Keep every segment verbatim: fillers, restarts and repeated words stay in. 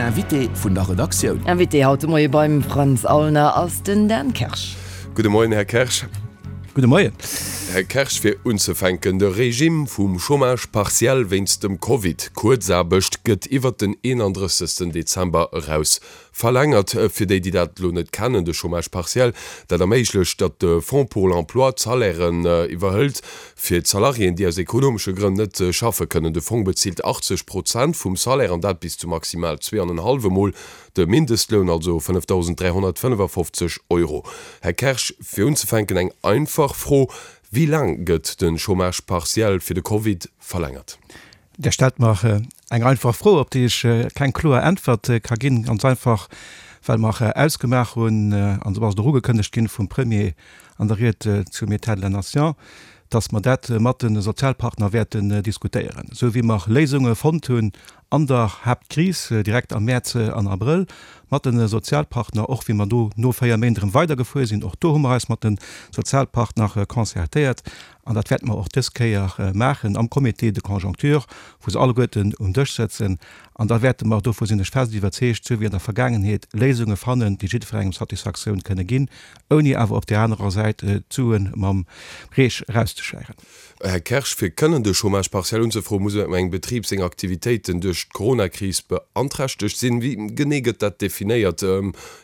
Invité vun der Redaktioun. Invité haut de Moie beim Frantz Aulner ass den Dan Kersch. Gudde Moien, Här Kersch. Gudde Moien. Här Kersch, fir unzefänken, De Regime vum Chômage partiel wéinst dem Covid, Kuerzaarbecht, gëtt iwwert den eenandrëssegsten Dezember eraus verlängert. Fir déi, déi dat elo net kennen, de Chômage partiel, dat erméiglecht, datt de Fonds pour l'emploi d'Salairen iwwerhëlt fir d'Salariéen, déi aus ekonomesche Grënn net schaffe kënnen. De Fong bezilt achtzeg Prozent vum Salaire, an dat bis zu maximal zwee an en hallwe Mol de Mindestloun, also fënnefdausend dräihonnertfënnefafofzeg Euro. Här Kersch, fir unzefänken eng einfach Fro, Wéi laang gëtt de Chômage partiel fir de Covid verlängert? Dir stellt mer eng einfach Fro, op déi ech keng kloer Äntwert ka ginn. Ganz einfach, well mer ausgemaach hunn, an esou ass et och ugekënnegt ginn vum Premier an der Ried zum État de la Nation, dass mer dat mat de Sozialpartner wäerten diskutéieren, esou wéi mer Léisunge fonnt hunn an der Haaptkris direkt am Mäerz an Abrëll mat de Sozialpartner, och wéi mer do no véier Méint erëm weidergefuer sinn, och do hu mer eis mat de Sozialpartner concertéiert. An dat wäerte mer och dës Kéier maachen am Comité de conjoncture, wou se alleguerten um Dësch sëtzen. An da wäerte mer, dovu sinn ech fest iwwerzeegt, sou wéi an der Vergaangenheet, Léisunge fannen, déi jiddwerengem Satisfaktioun kënne ginn, ouni awer op där anerer Säit d'Sue mam Reech erauszeschäieren. Här Kersch, fir kënnen de Chômage partiel unzefroen, muss engem Betrib seng Aktivitéiten duerch d'Coronakris beanträchtegt sinn. Wéi genee gëtt dat definéiert?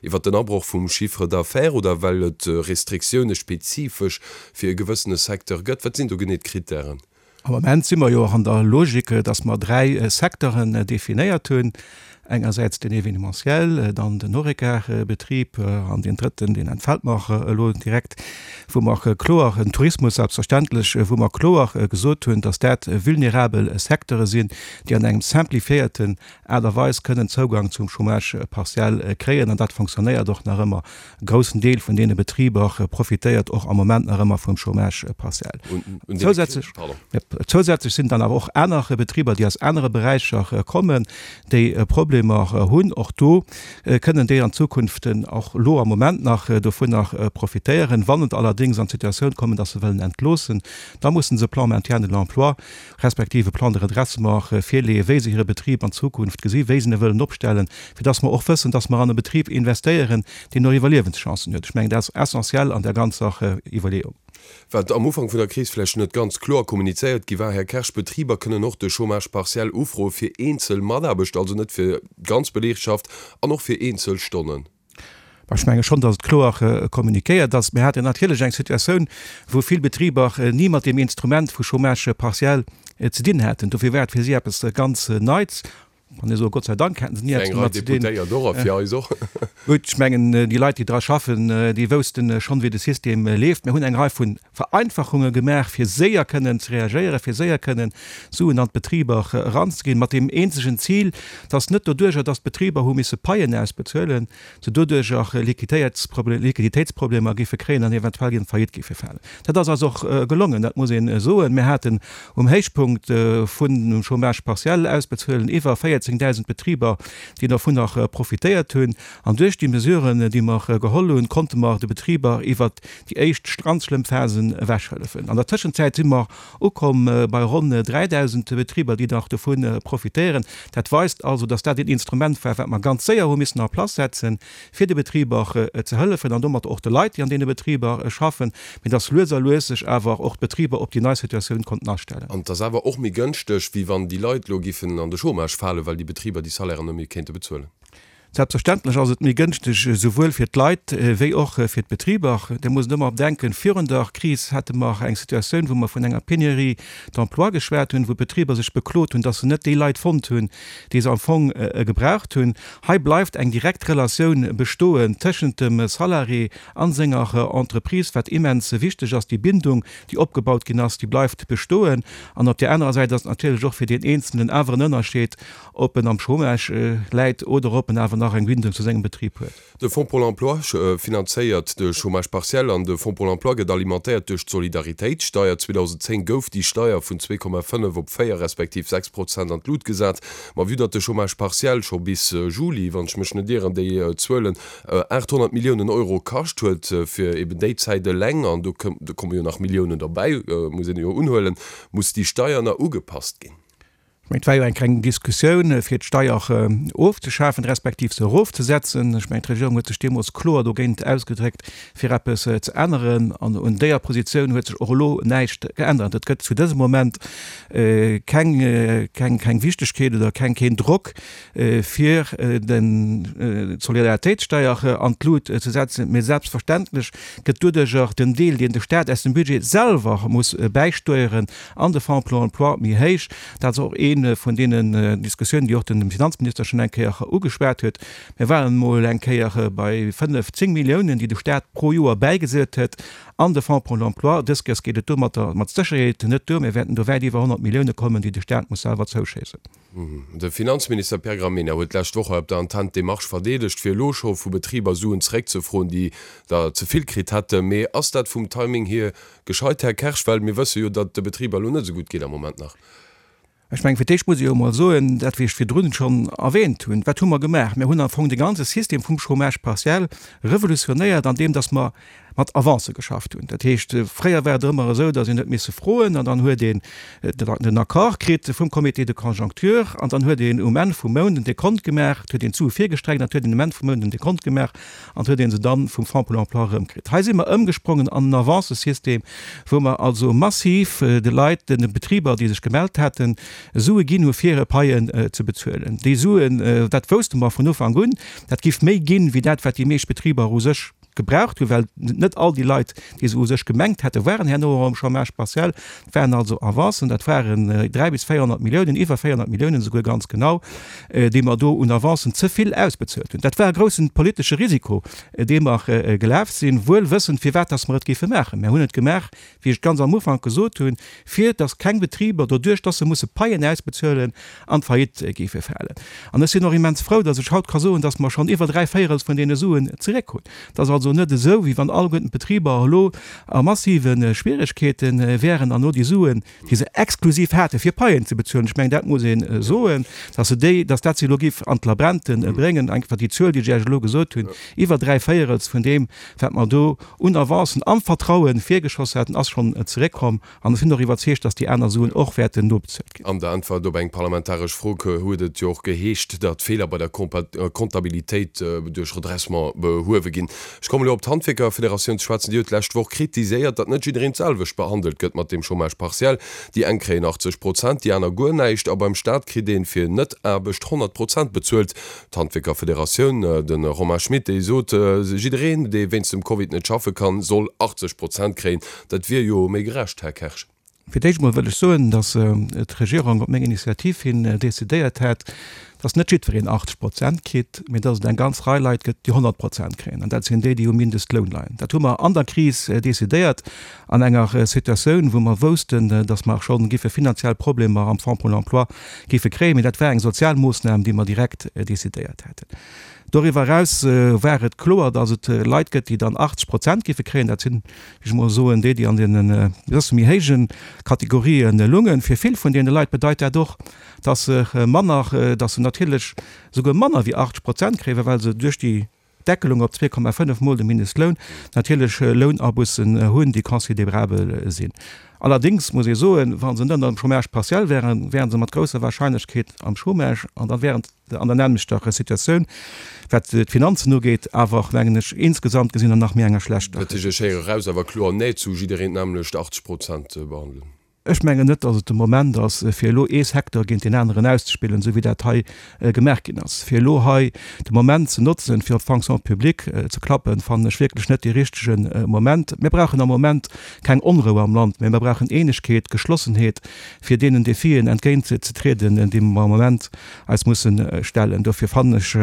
Iwwer den Abroch vum Chiffre d'affaires oder well et Restriktioune spezifesch fir e gewëssene Secteur gëtt? Wat sinn do genee d'Krittären? Am Moment si mer jo och an der Logik, dass mer dräi Secteuren definéiert hunn, engersäits den Événementiel, dann den Horeca-Betrib an deen drëtten, deen entfält mer elo direkt, wou mer kloer, den Tourismus selbstverständlech, wou mer kloer gesot hunn, dass dat vulnerabel Secteure sinn, déi an engem simplifiéierten Aart a Weis kënnen Zougang zum Chômage partiel kréien. An dat fonctionnéiert och nach ëmmer. E groussen Deel vun deene Betriber profitéiert och am Moment nach ëmmer vum Chômage partiel. Zousätzlech sinn dann awer och aner Betriber, déi aus anere Beräicher kommen, déi Problemer hunn. Och do kënnen déi an Zukunft, och elo am Moment nach, dovunner profitéieren. Wann et allerdéngs an d'Situatioun kommen, dass se wëllen entloossen, da mussen se e Plan maintien de l'emploi respektiv e Plan de redressement virleeën, wéi se hire Betrib an Zukunft gesinn, wéi se e wëllen opstellen, fir dass mer och wëssen, dass mer an e Betrib investéieren, deen och Iwwerliewenschancen huet. Ech mengen, dat ass essentiell an där ganzer Iwwerleeung. Wat am Ufank vun der Kris vläicht net ganz kloer kommunizéiert gi war, Här Kersch, Betriber kënnen och de Chômage partiel ufroe fir eenzel Mataarbechter, also net fir d'ganz Beleegschaft, an och fir eenzel Stonnen. Ech menge schonn, datt et kloer kommuniquéiert ass. Mir haten natierlech eng Situatioun, wou vill Betriber ni mat deem Instrument vu Chômage partiel ze dinn haten. Dofir war et fir si eppes ganz Neits. Kann ee soen, Gott sei Dank haten se ni Fir eppes eng Rei domat ze dinn. Deputéiert och a fir eis och. Gutt, ech mengen, déi Leit, déi dra schaffen, déi woussten schonn, wéi de System leeft. Mir hunn eng Rei vu Vereinfachunge gemaach, fir séier kënnen ze reagéieren, fir séier kënnen Suen an d'Betriber eranzeginn, mat deem eenzegen Zil, dass net doduerjer, dass d'Betriber hu misse Paien ausbezuelen, se doduerjer Liquiditéitsproblemer géife kréien an eventuell an Faillite géife falen. Dat ass eis och gelongen, dat muss ee soen. Mir haten um Héichpunkt vun dem Chômage partiel ausbezuelen iwwer véierzéngdausend Betriber, déi dovunner profitéiert hunn. An duerch déi Mesuren, déi mer geholl hunn, konnte mer de Betriber iwwert déi éischt ganz schlëmm Phasen ewechhëllefen. An der Tëschenzäit si mer ukomm bei ronn dräidausend Betriber, déi nach dovu profitéieren. Dat weist also, dass dat een Instrument war, wat mer ganz séier hu missen en place setzen, fir de Betriber ze hëllefen an domat och de Leit, déi an deene Betriber schaffen, mee dass lues a lues sech awer och d'Betriber op déi nei Situatioun konnten astellen. An et ass awer och méi gënschteg, wéi wann déi Leit elo giffen an de Chômage falen, well déi Betriber déi Salairen net méi kéinte bezuelen. Selbstverständlech ass et méi gënschteg, esouwuel fir d'Leit wéi och fir d'Betriber. Dir musst ëmmer bedenken, virun der Kris hate mer eng Situatioun, wou mer vun enger Pénurie d'emploi geschwat hunn, wou d'Betriber sech beklot hunn, dass se net déi Leit fonnt hunn, déi se am Fong gebraucht hunn. Hei bleift eng direkt Relatioun bestoen tëschent dem Salarié a senger Entreprise, wat immens wichteg ass. Déi Bindung, déi opgebaut ginn ass, déi bleift bestoen. An op där anerer Säit ass et natierlech och fir deen Eenzelnen awer en Ënnerscheed, ob en am Chômage läit oder ob en awer nach eng Bindung zu sengem Betrib huet. De Fonds pour l'emploi finanzéiert de Chômage partiel an de Fonds pour l'emploi gëtt alimentéiert duerch d'Solidaritéitssteier. zweedausenzéng gouf déi Steier vun zwee Komma fënnef op véier respektiv sechs Prozent an d'Lut gesat. Ma vue datt de Chômage partiel scho bis Juli, wann ech mech net ieren, déi Zuelen, aathonnert Milliounen Euro kascht huet fir eben déi Zäit eleng, an do komme jo nach Milliounen derbäi, muss een jo unhuelen, muss déi Steier nach ugepasst ginn. Ech mengen, et war jo eng kleng Diskussioun, fir d'Steier ofzeschafen, respektiv se erofzesetzen. Ech mengen, d'Regierung huet sech deemools kloer dogéint ausgedréckt, fir eppes ze änneren. An un deeër Positioun huet sech och elo näischt geännert. Et gëtt zu dësem Moment keng, keng, keng Wichtegkeet oder keng, keen Drock, fir den, d'Solidaritéitssteier an d'Lut ze setzen. Mee selbstverständlech gëtt doduerjer den Deel, deen de Stat aus dem Budget selwer muss bäisteueren an de Fonds pour l'emploi, méi héich. Dat ass och ee vun deenen Diskussiounen, déi och den Finanzminister schonn eng Kéier ugeschwat huet. Mir waren emol eng Kéier bei fënnef, zéng Milliounen, déi de Stat pro Joer bäigesat huet an de Fonds pour l'emploi. Dës Kéiers geet et domatter mat Sécherheet net duer. Mir wäerten do wäit iwwer honnert Millioune kommen, déi de Stat muss selwer zouschéissen. De Finanzminister Pierre Gramegna huet d'lescht Woch hei op der Antenn d'Demarche verdeedegt, fir elo scho vu Betriber Suen zeréckzefroen, déi der ze vill kritt hätten. Mee ass dat vum Timing hier gescheit, Här Kersch? Well mir wësse jo, datt et de Betriber elo net esou gutt geet am Moment nach. Ech mengen, fir d'éischt muss ech jo emol soen, dat wéi ech virdrun schonn erwähnt hunn, Wat hu mer gemaach? Mir hunn am Fong de ganze System vum Chômage partiel revolutionéiert, andeem datt mer mat Avancë geschafft hunn. Dat heescht, fréier war et ëmmer esou, datt een huet misse froen an dann huet een den Accord kritt vum Comité de conjoncture an dann huet een um Enn vum Mount en Dekont gemaach, et huet een d'Sue virgestreckt an et huet een um Enn vum Mount en Dekont gemaach an et huet ee se dann vum Fonds pour l'emploi erëmkritt. Hei si mer ëmgesprongen an en Avancësystem, wou mer also massiv de Leit, de Betriber, déi sech gemellt haten, Sue ginn hu fir hir Paien ze bezuelen. Déi Suen, dat wousste mer vun Ufank un, dat giff méi ginn, wéi dat, wat déi meescht Betriber u sech gebraucht hunn, well net all déi Leit, déi se u sech gemengt hätten, waren herno och am Chômage partiel. Dat waren also Avancen, dat waren dräi bis véierhonnert Milliounen, iwwer véierhonnert Milliounen esouguer ganz genau, déi mer do un Avancen ze vill ausbezuelt hunn. Dat war e groussen politesche Risiko, dee mer gelaf sinn, wuel wëssend, firwat dass mer et géife maachen. Mer hunn et gemaach, wéi ech ganz am Ufank gesot hunn, fir dass keng Betriber, doduerch dass se musse Paien ausbezuelen, an d'Faillite géife falen. An ech sinn och immens frou, dass ech haut ka soen, dass mer schonn iwwer dräi Véierels vun deene Suen zeréck hunn. Et ass also net esou, wéi wann alleguerten d'Betriber elo a massive Schwieregkeete wären an elo déi Suen, déi se exklusiv hate fir Paien ze bezuelen, ech mengen, dat muss ee soen, dass se déi, dass dat se elo géif an d'Labrente bréngen. Einfach déi Zuel, déi ech Iech elo gesot hunn, iwwer dräi Véierels vun deem, wat mer do un Avancen am Vertraue virgeschoss haten, ass schonn zeréckkomm. An ech sinn och iwwerzeegt, dass déi aner Suen och wäerten nobezuelt ginn. An der Äntwert op eng parlamentaresch Fro huet et jo och geheescht, datt Feeler bei der Comptabilitéit duerch Redressement behuewe ginn. Ech kommen elo op d'Handwierkerfederatioun ze schwätzen. Déi huet d'lescht Woch kritiséiert, datt net jiddereen d'selwecht behandelt gëtt mat deem Chômage partiel. Déi eng kréien achtzeg Prozent, déi aner guer näischt. A beim Staat kritt een fir Net-Aarbecht honnert Prozent bezuelt. D'Handwierkerfederatioun, de Romain Schmit, dee sot, jiddereen, dee wéinst dem Covid net schaffe kann, soll achtzeg Prozent kréien. Dat wier jo méi gerecht, Här Kersch. Fir d'éischt emol wëll ech soen, datt d'Regierung op meng Initiativ hin decidéiert hat, datt net jiddwereen achtzeg Prozent kritt, mee datt et eng ganz Rei Leit gëtt, déi honnert Prozent kréien, an dat sinn déi, déi um Mindestloun leien. Dat hu mer an der Kris decidéiert, an enger Situatioun, wou mer woussten, datt mer scho géife finanziell Problemer am Fonds pour l'emploi géife kréien. Mee dat war eng sozial Moossnam, déi mer direkt decidéiert haten. Doriwwer eraus war et kloer, datt et Leit gëtt, déi dann achtzeg Prozent géife kréien. Dat sinn, wéi ech emol soen, déi, déi an deenen e bësse méi héije Kategorië lungen. Fir vill vun deene Leit bedeit dat och, datt se manner, datt se natierlech souguer manner wéi achtzeg Prozent kréien, well se duerch déi Deckelung op zwee Komma fënnef mol de Mindestloun natierlech Lounabussen hunn, déi considerabel sinn. Allerdéngs muss ee soen, wa se net am Chômage partiel wären, wären se mat grousser Wahrscheinlechkeet am Chômage an da wären se an der nämmlechter Situatioun, wat d'Finanzen ugeet, awer och, mengen ech, insgesamt gesinn an nach méi enger schlechter. Dat heescht, ech héiere eraus, awer kloer Nee zu jiddereen d'nämmlecht, achtzeg Prozent behandelen. Ech mengen net, datt et de Moment ass, fir elo ee Secteur géint deen aneren auszespillen, esou wéi dat hei gemaach ginn ass. Fir elo hei de Moment ze notzen, fir op d'Fonction publique ze klappen, fannen ech wierklech net dee richtege Moment. Mir brauchen am Moment keng Onrou am Land, mä mir brauchen Eenegkeet, Geschlossenheet, fir deenen Defien entgéintzetrieden, déi mer am Moment eis musse stellen. Dofir fannen ech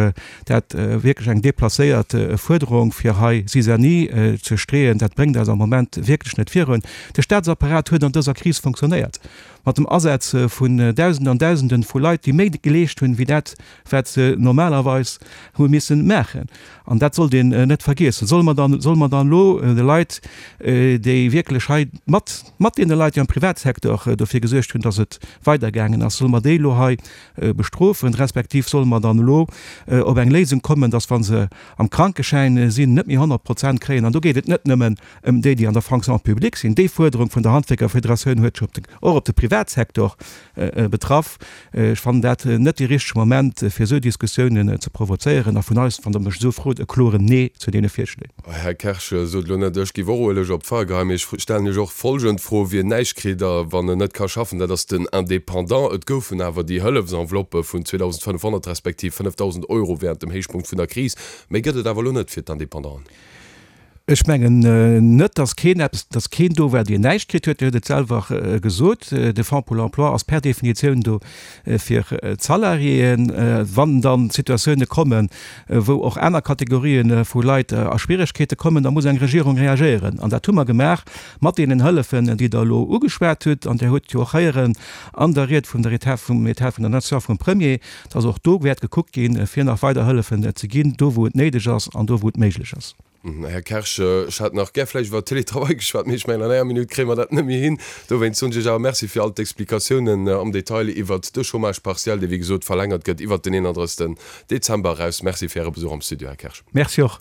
dat wierklech eng deplacéiert Fuerderung, fir hei Zizanie ze streeën. Dat bréngt eis am Moment wierklech net virun. De Staatsapparat huet an dëser Kris funktionéiert, mat dem Asaz vun Dausenden an Dausenden vu Leit, déi méi geleescht hunn, wéi dat, wat se normalerweis hu missen maachen. An dat sollt een net vergiessen. Solle mer dann, solle mer dann elo de Leit, déi wierklech hei mat, mat deene Leit, déi am Privatsecteur dofir gesuergt hunn, dass et weidergaangen ass, solle mer déi elo hei bestrofen, respektiv solle mer dann elo op eng Léisung kommen, dass, wa se am Krankeschäin sinn, net méi honnert Prozent kréien? An do geet et net nëmmen ëm déi, déi an der Fonction publique sinn. Déi Fuerderung vun der Handwierkerfederatioun huet sech och op de Privatsecteur Privatsektor betraff. Ech fannen dat net dee richtege Moment, fir esou Diskussiounen ze provozéieren. A vun eis, wann Der mech esou frot, e kloren Nee zu deene Virschléi. Här Kersch, sot elo net, ech géif och Ueleg op d'Feier geheien, mee ech stellen Iech och folgend Fro, Wien näischt kritt a wann en net ka schaffen, dat ass den Indépendant. Et goufen awer déi Hëllefsenveloppe vun zweedausendfënnefhonnert respektiv fënnefdausend Euro während dem Héichpunkt vun der Kris. Méi gëtt et awer elo net fir d'Indépendanten. Ech mengen net, dass keen eppes, dass keen do war, deen näischt kritt huet. Dir hutt et selwer gesot, de Fonds pour l'emploi ass per Definitioun do fir d'Salariéen. Wann dann Situatioune kommen, wou och aner Kategorië vu Leit a Schwieregkeete kommen, da muss eng Regierung reagéieren. An dat hu mer gemaach mat deenen Hëllefen, déi Der elo ugeschwat hutt. An Dir hutt jo och héieren an der Ried vum der Etat, vum État vun der Nation vum Premier, dass och do wäert gekuckt ginn, fir nach weider Hëllefen ze ginn, do wou et néideg ass an do wou et méiglech ass. Här Kersch, ech hätt nach gär vläicht iwwer Télétravail geschwat, mee ech mengen, an enger Minutt kréie mer dat net méi hin. Dowéinst soen ech Iech awer Merci fir all d'Explikatiounen am Detail iwwert de Chômage partiel, dee wéi gesot verlängert gëtt iwwert den eenanddrëssigsten Dezember eraus. Merci fir Äre Besuch am Studio, Här Kersch. Merci och.